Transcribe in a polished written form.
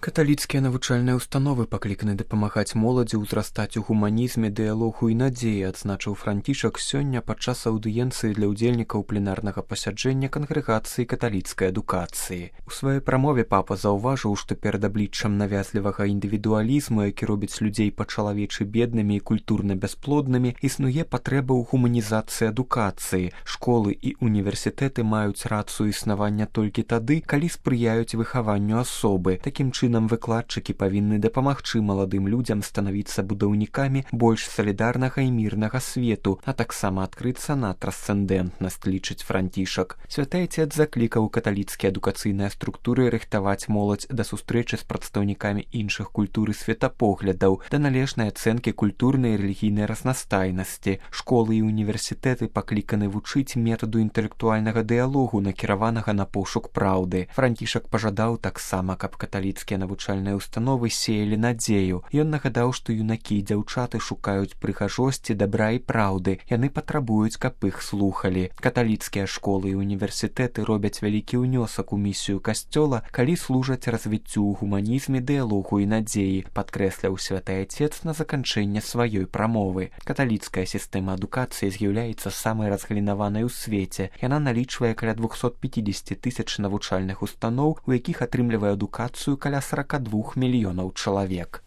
Каталіцкія навучальныя ўстановы пакліканы дапамагаць моладзі ўзрастаць у гуманізме, дыялогу і надзеі, адзначыў Францішак сёння падчас аўдыенцыі для ўдзельнікаў пленарнага пасяджэння кангрэгацыі каталіцкай адукацыі. У сваёй прамове папа заўважыў, што перад абліччам навязлівага індывідуалізму, які робіць людзей па-чалавечы беднымі і культурна бясплоднымі, існуе патрэба ў гуманізацыі адукацыі. Школы і універсітэты маюць рацыю існавання толькі тады, калі спрыяюць выхаванню асобы. Такім чынам выкладчыкі павінны дапамагчы маладым людзям станавіцца будаўнікамі больш салідарнага і мірнага свету, а таксама адкрыцца на трансцэндэнтнасць, лічыць Францішак. Святы Айцец заклікаў каталіцкія адукацыйныя структуры рыхтаваць моладзь да сустрэчы з прадстаўнікамі іншых культур і светапоглядаў, да належнай ацэнкі культурнай і рэлігійнай разнастайнасці. Школы і універсітэты пакліканы вучыць метаду інтэлектуальнага дыялогу, накіраванага на пошук праўды. Францішак пажадаў таксама, каб каталіцкія навучальныя ўстановы сеялі надзею. Ён нагадаў, што юнакі і дзяўчаты шукаюць прыгажосці, дабра і праўды. Яны патрабуюць, каб іх слухалі. Каталіцкія школы і універсітэты робяць вялікі ўнёсак у місію касцёла, калі служаць развіццю ў гуманізме, дыялогу і надзеі, падкрэсляў святы Айцец на заканчэнне сваёй прамовы. Каталіцкая сістэма адукацыі з'яўляецца самай разгалінаванай у свеце. Яна налічвае каля 250 тысяч навучальных устаноў, у якіх атрымлівае адукацыю каля 42 мільёнаў чалавек.